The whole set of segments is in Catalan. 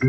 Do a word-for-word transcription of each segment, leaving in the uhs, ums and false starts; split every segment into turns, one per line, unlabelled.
El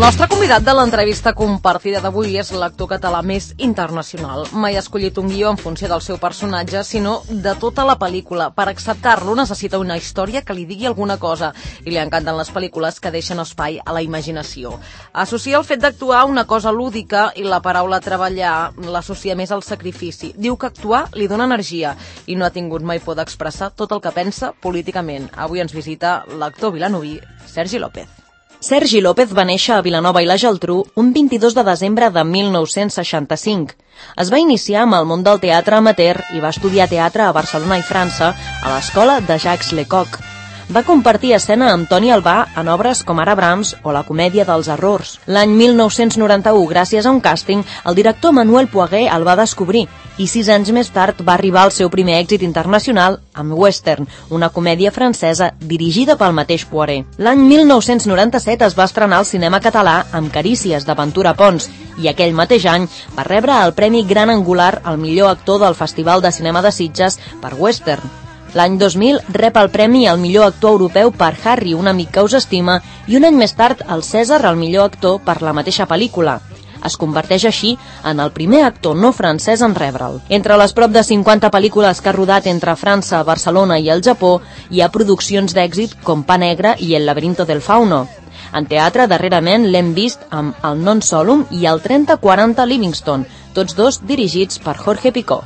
nostre convidat de l'entrevista compartida d'avui és l'actor català més internacional. Mai ha escollit un guió en funció del seu personatge, sinó de tota la pel·lícula. Per acceptar-lo necessita una història que li digui alguna cosa i li encanten les pel·lícules que deixen espai a la imaginació. Associa el fet d'actuar a una cosa lúdica i la paraula treballar l'associa més al sacrifici. Diu que actuar li dona energia i no ha tingut mai por d'expressar tot el que pensa políticament. Avui ens visita l'actor vilanoví Sergi López. Sergi López va néixer a Vilanova i la Geltrú un vint-i-dos de desembre de mil nou-cents seixanta-cinc. Es va iniciar amb el món del teatre amateur i va estudiar teatre a Barcelona i França a l'escola de Jacques Lecoq. Va compartir escena amb Toni Albà en obres com ara Brahms o La comèdia dels errors. L'any mil nou-cents noranta-u, gràcies a un càsting, el director Manuel Poiguer el va descobrir i sis anys més tard va arribar al seu primer èxit internacional amb Western, una comèdia francesa dirigida pel mateix Poiré. L'any mil nou-cents noranta-set es va estrenar al cinema català amb Carícies, de Ventura Pons, i aquell mateix any va rebre el Premi Gran Angular al millor actor del Festival de Cinema de Sitges per Western. L'any dos mil rep el premi al millor actor europeu per Harry, un amic que us estima, i un any més tard el Cèsar al millor actor per la mateixa pel·lícula. Es converteix així en el primer actor no francès en rebre'l. Entre les prop de cinquanta pel·lícules que ha rodat entre França, Barcelona i el Japó, hi ha produccions d'èxit com Pa Negre i El laberinto del fauno. En teatre, darrerament, l'hem vist amb El non solum i el trenta quaranta Livingston, tots dos dirigits per Jorge Picó.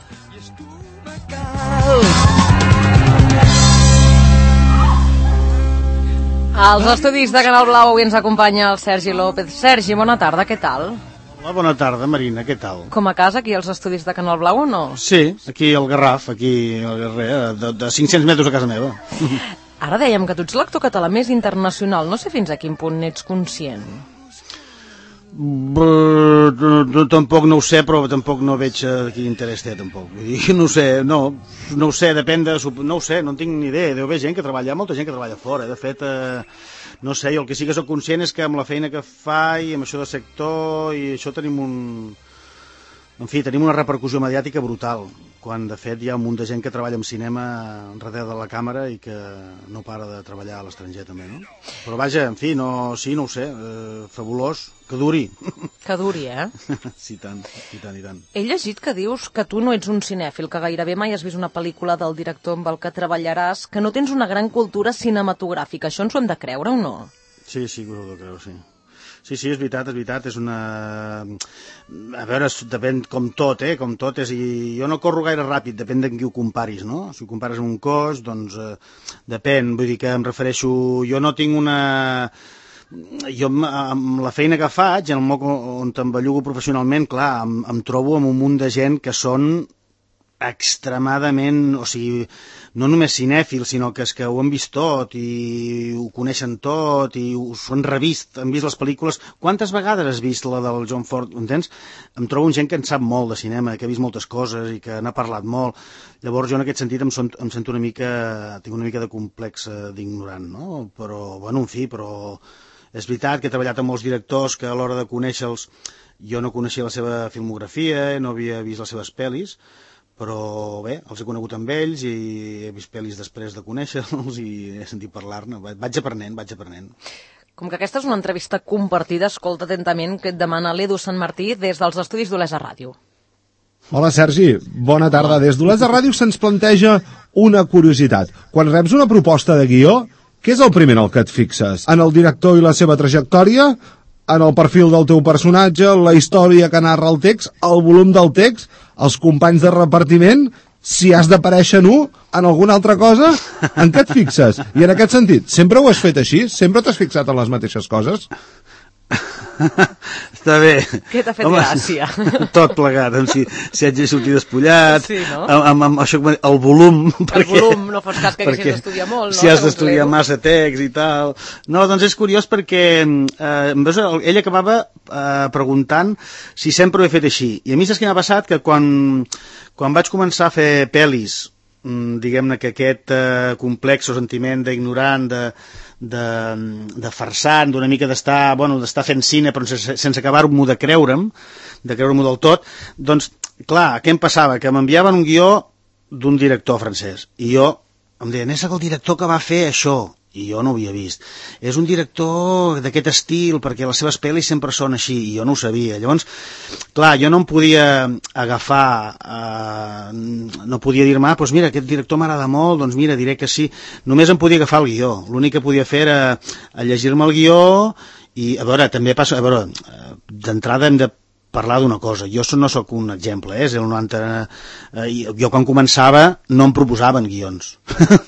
Als estudis de Canal Blau avui ens acompanya el Sergi López. Sergi, bona tarda, què tal?
Hola, bona tarda, Marina, què tal?
Com a casa, aquí als estudis de Canal Blau o no?
Sí, aquí al Garraf, aquí al Garrer, de, de cinc-cents metres a casa meva.
Ara dèiem que tu ets l'actor català més internacional, no sé fins a quin punt n'ets conscient.
Brr, tampoc no ho sé, però tampoc no veig quin interès té, tampoc. Vull dir, no ho sé, no, no ho sé, depèn de... No ho sé, no en tinc ni idea. Deu haver gent que treballa, molta gent que treballa fora. De fet, eh, no sé, jo el que sí que soc conscient és que amb la feina que fa i amb això de sector i això tenim un... En fi, tenim una repercussió mediàtica brutal, quan de fet hi ha un munt de gent que treballa en cinema darrere de la càmera i que no para de treballar a l'estranger també, no? Però vaja, en fi, no, sí, no ho sé, eh, fabulós, que duri.
Que duri, eh?
Sí, tant, i tant, i tant.
He llegit que dius que tu no ets un cinèfil, que gairebé mai has vist una pel·lícula del director amb el que treballaràs, que no tens una gran cultura cinematogràfica. Això ens ho hem de creure o no?
Sí, sí, ho he de creure, sí. Sí, sí, és veritat, és veritat, és una... A veure, depèn com tot, eh, com tot és... I jo no corro gaire ràpid, depèn de qui ho comparis, no? Si ho compares amb un cos, doncs eh, depèn, vull dir que em refereixo... Jo no tinc una... Jo amb la feina que faig, en el moc on em bellugo professionalment, clar, em, em trobo amb un munt de gent que són extremadament, o sigui, no només cinèfils, sinó que és que ho han vist tot i ho coneixen tot i ho han revist, han vist les pel·lícules. Quantes vegades has vist la del John Ford, entens? Em trobo gent que en sap molt de cinema, que ha vist moltes coses i que n'ha parlat molt. Llavors jo en aquest sentit em, son, em sento una mica, tinc una mica de complex d'ignorant, no? Però, bueno, en fi, però és veritat que he treballat amb molts directors que a l'hora de conèixer-los jo no coneixia la seva filmografia, no havia vist les seves pel·lis, però bé, els he conegut amb ells i he vist pel·lis després de conèixer-los i he sentit parlar-ne. Vaig aprenent, vaig aprenent.
Com que aquesta és una entrevista compartida, escolta atentament que et demana l'Edu Sant Martí des dels estudis d'Olesa Ràdio.
Hola, Sergi. Bona tarda. Des d'Olesa Ràdio se'ns planteja una curiositat. Quan reps una proposta de guió, què és el primer en el que et fixes? En el director i la seva trajectòria? En el perfil del teu personatge, la història que narra el text, el volum del text, els companys de repartiment, si has d'aparèixer nu en alguna altra cosa, en què et fixes? I en aquest sentit, sempre ho has fet així? Sempre t'has fixat en les mateixes coses?
Està bé.
Què t'ha fet Home, gràcia?
Tot plegat, si, si haig de sortir despullat,
sí, no?
amb, amb, amb això, el volum.
El
perquè,
volum, no fos cas que haguessis d'estudiar molt, no?
Si has d'estudiar massa text i tal. No, doncs és curiós perquè eh, ell acabava eh, preguntant si sempre ho he fet així. I a mi saps què m'ha passat? Que quan, quan vaig començar a fer pel·lis diguem-ne que aquest eh, complex o sentiment d'ignorant, de, de, de farsant, d'una mica d'estar, bueno, d'estar fent cine però sense, sense acabar-m'ho de creure'm, de creure-m'ho del tot, doncs, clar, què em passava? Que m'enviaven un guió d'un director francès, i jo em deien, és el director que va fer això, i jo no ho havia vist. És un director d'aquest estil, perquè les seves pel·lis sempre són així, i jo no ho sabia. Llavors, clar, jo no em podia agafar, eh, no podia dir-me, ah, doncs mira, aquest director m'agrada molt, doncs mira, diré que sí. Només em podia agafar el guió. L'únic que podia fer era llegir-me el guió, i, a veure, també passa, a veure, d'entrada hem de parlar d'una cosa, jo no sóc un exemple, eh? El noranta, eh, jo quan començava no em proposaven guions.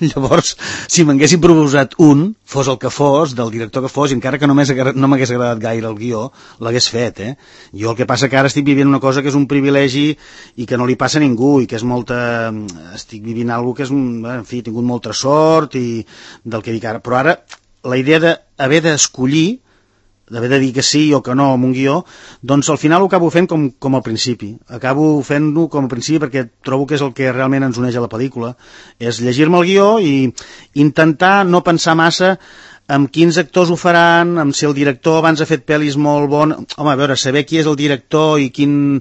Llavors, si m'haguessin proposat un, fos el que fos, del director que fos, i encara que no m'hagués agradat gaire el guió, l'hagués fet. Eh? Jo el que passa que ara estic vivint una cosa que és un privilegi i que no li passa a ningú, i que és molta... estic vivint alguna cosa que és, un... en fi, he tingut molta sort i del que dic ara. Però ara, la idea d'haver d'escollir, d'haver de dir que sí o que no amb un guió, doncs al final ho acabo fent com, com al principi. Acabo fent-ho com al principi perquè trobo que és el que realment ens uneix a la pel·lícula. És llegir-me el guió i intentar no pensar massa amb quins actors ho faran, amb si el director abans ha fet pel·lis molt bones. Home, a veure, saber qui és el director i quin,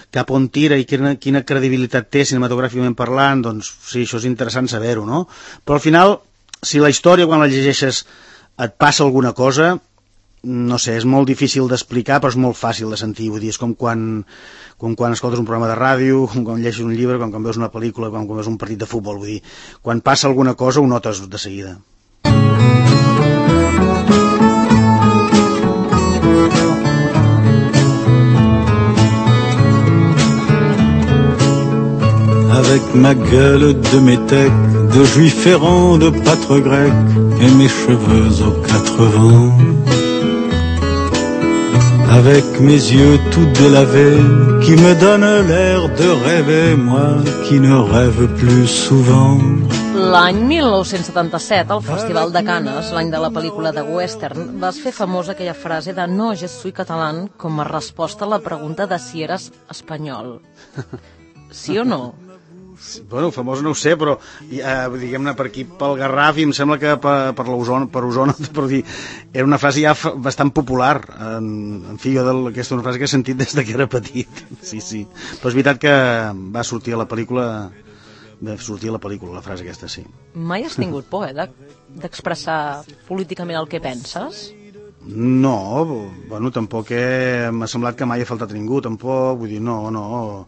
cap on tira i quina, quina credibilitat té cinematogràficament parlant, doncs sí, això és interessant saber-ho, no? Però al final, si la història quan la llegeixes et passa alguna cosa, no sé, és molt difícil d'explicar, però és molt fàcil de sentir. Vull dir, és com quan, com quan escoltes un programa de ràdio, com quan llegeixes un llibre, com quan veus una pel·lícula, com quan veus un partit de futbol. Vull dir, quan passa alguna cosa ho notes de seguida.
Avec ma gueule de métèque, de juif errant, de pâtre grec, et mes cheveux aux quatre vents. Avec mes yeux tout délavés, qui me donnent l'air de rêver, moi qui ne rêve plus souvent.
L'any mil nou-cents setanta-set, al Festival de Canes, l'any de la pel·lícula de western, vas fer famosa aquella frase de «No, je suis catalán» com a resposta a la pregunta de si eres espanyol. Sí o no?
Bueno, famós no ho sé, però eh, diguem-ne per aquí, pel Garraf, i em sembla que per, per l'Osona, per Osona, per dir, era una frase ja bastant popular. En, en fi, jo del, aquesta és una frase que he sentit des que era petit. Sí, sí. Però és veritat que va sortir a la pel·lícula, va sortir a la pel·lícula, la frase aquesta, sí.
Mai has tingut por, eh, d'expressar políticament el que penses?
No, bueno, tampoc he, m'ha semblat que mai ha faltat ningú, tampoc, vull dir, no, no...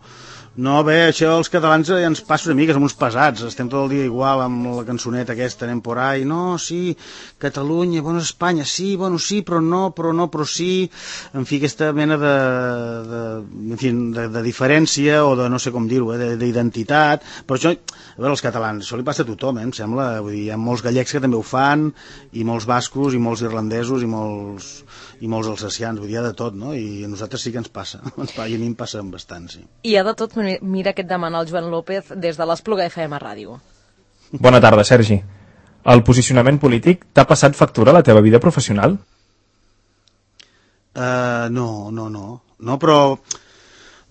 No, bé, això els catalans ja ens passa una mica, som uns pesats, estem tot el dia igual amb la cançoneta aquesta, anem por ahí, no, sí, Catalunya, bueno, Espanya, sí, bueno, sí, però no, però no, però sí, en fi, aquesta mena de, de, en fi, de, de diferència, o de no sé com dir-ho, eh, d'identitat, però això, a veure, els catalans, això li passa a tothom, eh, em sembla, vull dir, hi ha molts gallecs que també ho fan, i molts bascos, i molts irlandesos, i molts, i molts alsacians, vull dir, hi ha de tot, no?, i a nosaltres sí que ens passa, i a mi em passa bastant, sí.
Hi ha de tot. Mira què et demana el Joan López des de l'Espluga F M Ràdio.
Bona tarda, Sergi. El posicionament polític t'ha passat factura a la teva vida professional?
Uh, no, no, no. No, però...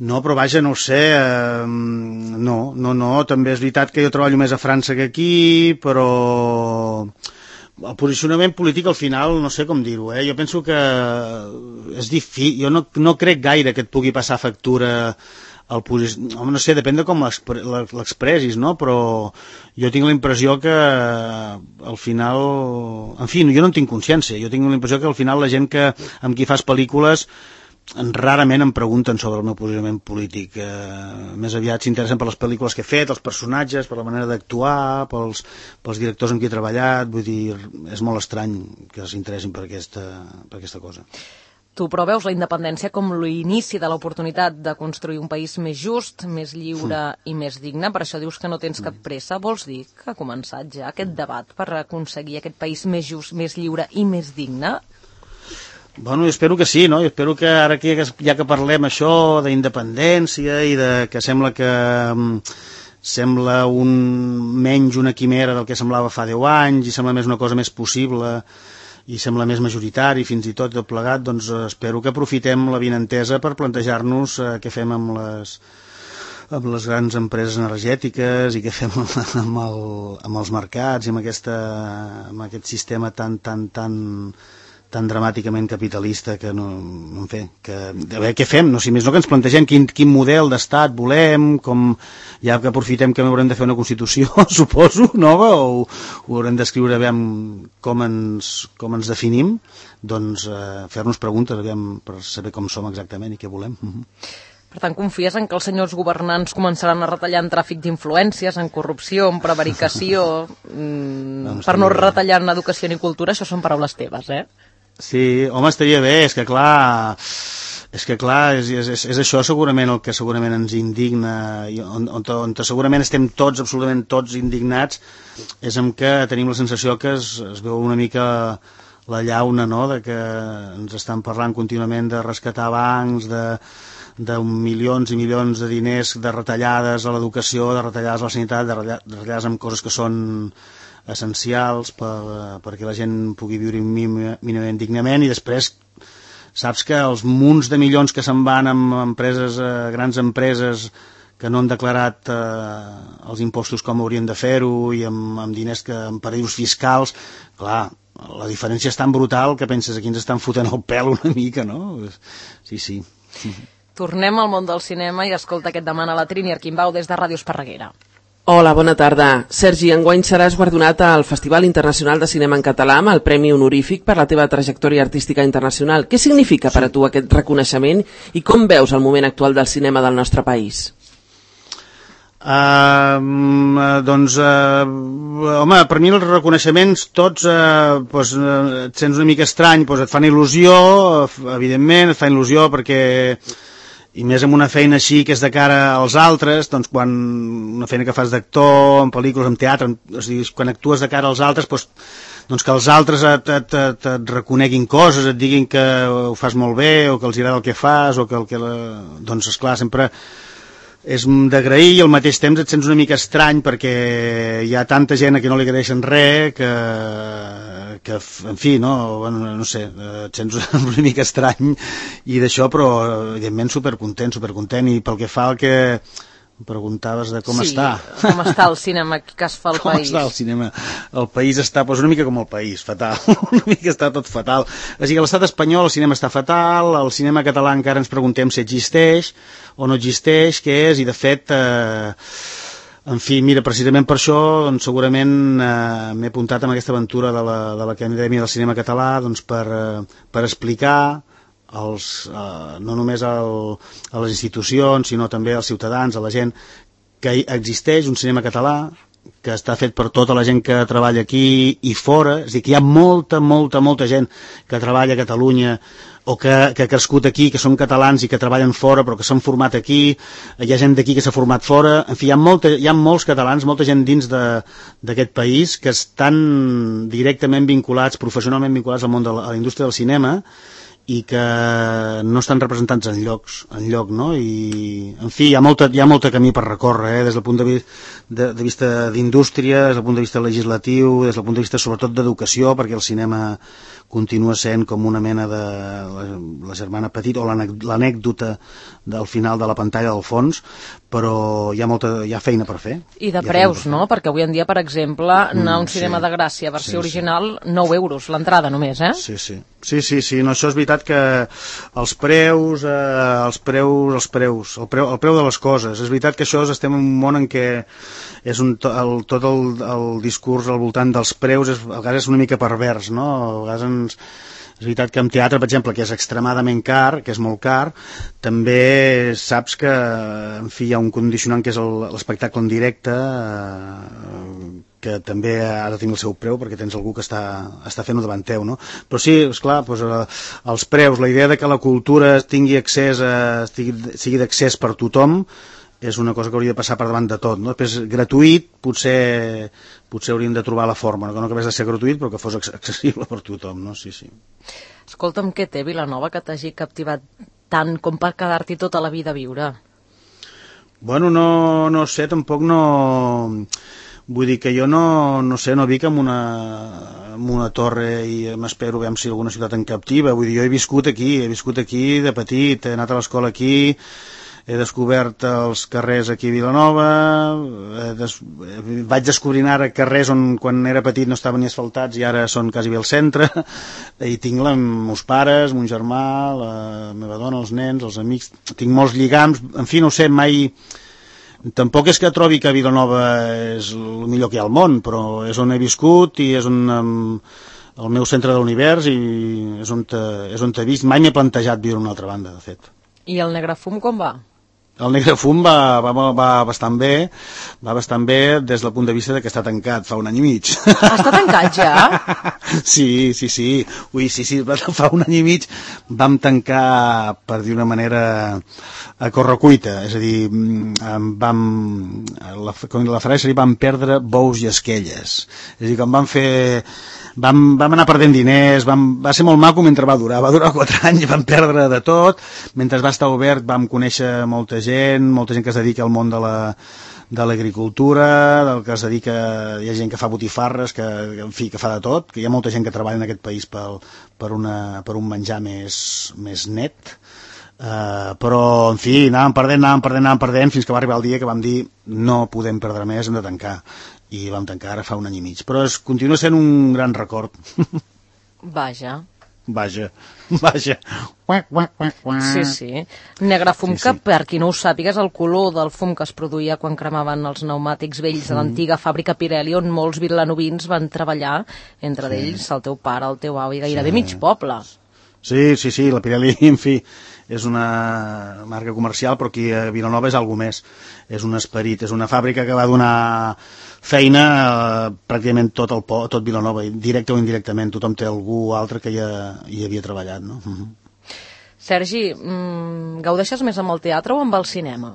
No, però vaja, no ho sé. Uh, no, no, no. També és veritat que jo treballo més a França que aquí, però... El posicionament polític al final, no sé com dir-ho, eh? Jo penso que és difícil, jo no, no crec gaire que et pugui passar factura el posi... Home, no sé, depèn de com l'expressis, no? Però jo tinc la impressió que al final... En fi, jo no en tinc consciència, jo tinc la impressió que al final la gent que amb qui fas pel·lícules rarament em pregunten sobre el meu posicionament polític. Eh, més aviat s'interessen per les pel·lícules que he fet, els personatges, per la manera d'actuar, pels, pels directors amb qui he treballat. Vull dir, és molt estrany que s'interessin per aquesta, per aquesta cosa.
Tu però veus la independència com l'inici de l'oportunitat de construir un país més just, més lliure mm. i més digne. Per això dius que no tens cap pressa. Vols dir que ha començat ja aquest debat per aconseguir aquest país més just, més lliure i més digne?
Bueno, jo espero que sí, no? Jo espero que ara que ja que parlem això d'independència i de que sembla que um, sembla un menys una quimera del que semblava fa deu anys i sembla més una cosa més possible i sembla més majoritari fins i tot tot plegat, doncs espero que aprofitem la vinentesa per plantejar-nos eh, què fem amb les amb les grans empreses energètiques i què fem amb, el, amb els mercats i amb, aquesta, amb aquest sistema tan, tan, tan, tan dramàticament capitalista que no, en fi, que, a veure què fem, no, si més no que ens plantegem quin, quin model d'estat volem, com, ja que aprofitem que haurem de fer una Constitució, suposo, nova, o ho haurem d'escriure, aviam com ens, com ens definim, doncs eh, fer-nos preguntes, aviam, per saber com som exactament i què volem.
Per tant, confies en que els senyors governants començaran a retallar en tràfic d'influències, en corrupció, en prevaricació, mmm, per no retallar en educació ni cultura? Això són paraules teves, eh?
Sí, home, estaria bé, és que clar, és que clar, és, és, és això segurament el que segurament ens indigna, i on, on, on segurament estem tots, absolutament tots indignats, és en que tenim la sensació que es, es veu una mica la llauna, no?, de que ens estan parlant contínuament de rescatar bancs, de de milions i milions de diners, de retallades a l'educació, de retallades a la sanitat, de retallades en coses que són essencials per, perquè la gent pugui viure mínimament dignament, i després saps que els munts de milions que se'n van amb empreses, eh, grans empreses que no han declarat eh, els impostos com haurien de fer-ho i amb, amb diners que en paradisos fiscals, clar, la diferència és tan brutal que penses aquí ens estan fotent el pèl una mica, no? Sí, sí.
Tornem al món del cinema i escolta aquest demana la Trini Arquimbau des de Ràdio Esparreguera.
Hola, bona tarda. Sergi, enguany seràs guardonat al Festival Internacional de Cinema en Català amb el Premi Honorífic per la teva trajectòria artística internacional. Què significa per a tu aquest reconeixement i com veus el moment actual del cinema del nostre país?
Uh, doncs uh, home, per mi els reconeixements tots uh, pues, uh, et sents una mica estrany, pues, et fan il·lusió, evidentment et fan il·lusió perquè, i més amb una feina així que és de cara als altres, doncs quan una feina que fas d'actor en pel·lícules, en teatre, en, o sigui, quan actues de cara als altres, doncs, doncs que els altres et, et, et, et reconeguin coses, et diguin que ho fas molt bé o que els agrada el que fas o que el que la... doncs esclar, sempre és d'agrair i al mateix temps et sents una mica estrany perquè hi ha tanta gent a qui no li agraeixen res que, que en fi, no, bueno, no sé, et sents una mica estrany i d'això, però evidentment supercontent, supercontent, i pel que fa al que em preguntaves de com
sí,
està.
Com està el cinema que es fa al
com
país.
Com està el cinema? El país està doncs, una mica com el país, fatal. Una mica està tot fatal. O sigui, a l'estat espanyol el cinema està fatal, el cinema català encara ens preguntem si existeix o no existeix, què és, i de fet, eh, en fi, mira, precisament per això, doncs, segurament eh, m'he apuntat en aquesta aventura de l'Acadèmia del Cinema Català, doncs, per, eh, per explicar els, eh, no només el, a les institucions, sinó també als ciutadans, a la gent, que existeix un cinema català que està fet per tota la gent que treballa aquí i fora, és a dir, que hi ha molta, molta, molta gent que treballa a Catalunya o que, que ha crescut aquí, que són catalans i que treballen fora però que s'han format aquí, hi ha gent d'aquí que s'ha format fora, en fi, hi ha, molta, hi ha molts catalans, molta gent dins d'aquest país que estan directament vinculats, professionalment vinculats al món de la, a la indústria del cinema i que no estan representats en llocs, en lloc, no? I, en fi, hi ha molta, hi ha molta camí per recórrer, eh? Des del punt de, vi de, de vista d'indústria, des del punt de vista legislatiu, des del punt de vista sobretot d'educació, perquè el cinema continua sent com una mena de la, la germana petita o l'anècdota del final de la pantalla del fons, però hi ha molta, hi ha feina per fer.
I de preus, no? Perquè avui en dia, per exemple, anar a un cinema
sí,
de Gràcia, versió
sí,
original, nou euros, l'entrada només, eh?
Sí, sí. Sí, sí, sí, no, això és veritat que els preus, eh, els preus, els preus, el preu, el preu de les coses, és veritat que això és, estem en un món en què és un, el, tot el, el discurs al voltant dels preus és, a vegades és una mica pervers, no? A vegades ens, és veritat que en teatre, per exemple, que és extremadament car, que és molt car, també saps que, en fi, hi ha un condicionant que és l'espectacle en directe, eh, que també ha de tenir el seu preu perquè tens algú que està, està fent-ho davant teu, no? Però sí, esclar, doncs, eh, els preus, la idea de que la cultura tingui accés a, sigui, sigui d'accés per tothom és una cosa que hauria de passar per davant de tot, no? Després, gratuït, potser, potser hauríem de trobar la forma, no? Que no acabés de ser gratuït, però que fos accessible per tothom, no? Sí, sí.
Escolta'm, què té Vilanova que t'hagi captivat tant com per quedar-t'hi tota la vida a viure?
Bueno, no, no sé, tampoc no... Vull dir que jo no, no sé, no vic en una, en una torre i m'espero veure si alguna ciutat em captiva. Vull dir, jo he viscut aquí, he viscut aquí de petit, he anat a l'escola aquí, he descobert els carrers aquí a Vilanova, he des... vaig descobrint ara carrers on quan era petit no estaven ni asfaltats i ara són quasi bé al centre, i tinc la, els meus pares, mon germà, la meva dona, els nens, els amics, tinc molts lligams, en fi, no ho sé, mai... Tampoc és que trobi que Vilanova és el millor que hi ha al món, però és on he viscut i és on... Um, el meu centre de l'univers i és on, te, és on t'he vist. Mai m'he plantejat viure a una altra banda, de fet.
I el negre fum com va?
El negre fum va, va, va bastant bé, va bastant bé des del punt de vista de que està tancat fa un any i mig.
Està tancat ja?
Sí, sí, sí. Ui, sí, sí, fa un any i mig vam tancar, per dir una manera, a correcuita. És a dir, vam, la, com la frase seria, vam perdre bous i esquelles. És a dir, quan vam fer... Vam, vam anar perdent diners, vam, va ser molt maco mentre va durar, va durar quatre anys, vam perdre de tot, mentre va estar obert vam conèixer molta gent, molta gent que es dedica al món de la de l'agricultura, del que es dedica, hi ha gent que fa botifarres, que, en fi, que fa de tot, que hi ha molta gent que treballa en aquest país per, per, una, per un menjar més, més net, uh, però, en fi, anàvem perdent, anàvem perdent, anàvem perdent, fins que va arribar el dia que vam dir no podem perdre més, hem de tancar. I vam tancar ara fa un any i mig. Però es continua sent un gran record.
Vaja.
Vaja, vaja.
Sí, sí. Negre fum, sí, sí. Que per qui no ho sàpiga és el color del fum que es produïa quan cremaven els pneumàtics vells de l'antiga fàbrica Pirelli, on molts vilanovins van treballar, entre sí. ells el teu pare, el teu avi, gairebé sí. mig poble.
Sí, sí, sí, la Pirelli, en fi, és una marca comercial, però aquí a Vilanova és alguna més. És un esperit, és una fàbrica que va donar feina a pràcticament tot el po, tot Vilanova, directe o indirectament, tothom té algú altre que ja hi havia treballat, no? Uh-huh.
Sergi, mmm, gaudeixes més amb el teatre o amb el cinema?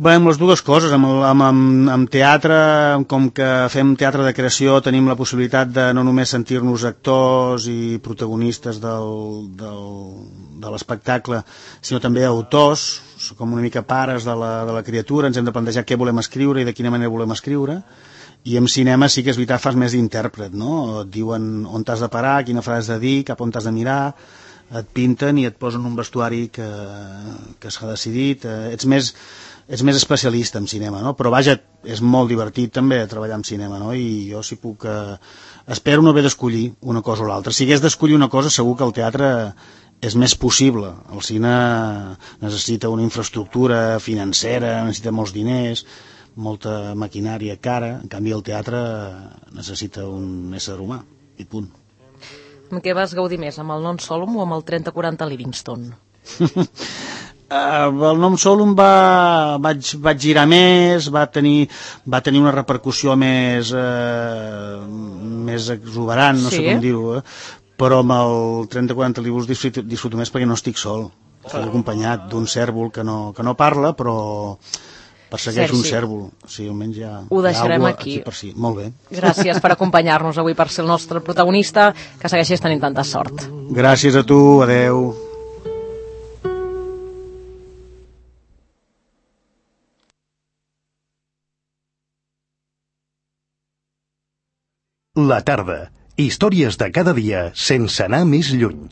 Bé, amb les dues coses, amb, el, amb, amb, amb teatre, com que fem teatre de creació, tenim la possibilitat de no només sentir-nos actors i protagonistes del, del, de l'espectacle, sinó també autors, com una mica pares de la, de la criatura, ens hem de plantejar què volem escriure i de quina manera volem escriure, i en cinema sí que és veritat, fas més d'intèrpret, no? Et diuen on t'has de parar, quina frase has de dir, cap on t'has de mirar, et pinten i et posen un vestuari que, que s'ha decidit, ets més... ets més especialista en cinema, no? Però vaja, és molt divertit també treballar en cinema, no? I jo si puc... Eh, espero no haver d'escollir una cosa o l'altra. Si hagués d'escollir una cosa, segur que el teatre és més possible. El cine necessita una infraestructura financera, necessita molts diners, molta maquinària cara, en canvi el teatre necessita un ésser humà, i punt.
Amb què vas gaudir més, amb el Non Solum o amb el trenta quaranta Livingston?
Uh, el Nom Solum va, vaig, vaig girar més, va tenir, va tenir una repercussió més, uh, més exuberant, no sí? sé com dir-ho, eh? Però amb el trenta quaranta Livingston disfruto, disfruto més perquè no estic sol, estic acompanyat d'un cèrvol que no, que no parla, però persegueix Sergi. Un cèrvol. Sí, almenys ja,
ho deixarem aquí.
aquí per si. Molt bé.
Gràcies per acompanyar-nos avui, per ser el nostre protagonista, que segueixis tenint tanta sort.
Gràcies a tu, adeu.
La tarda. Històries de cada dia sense anar més lluny.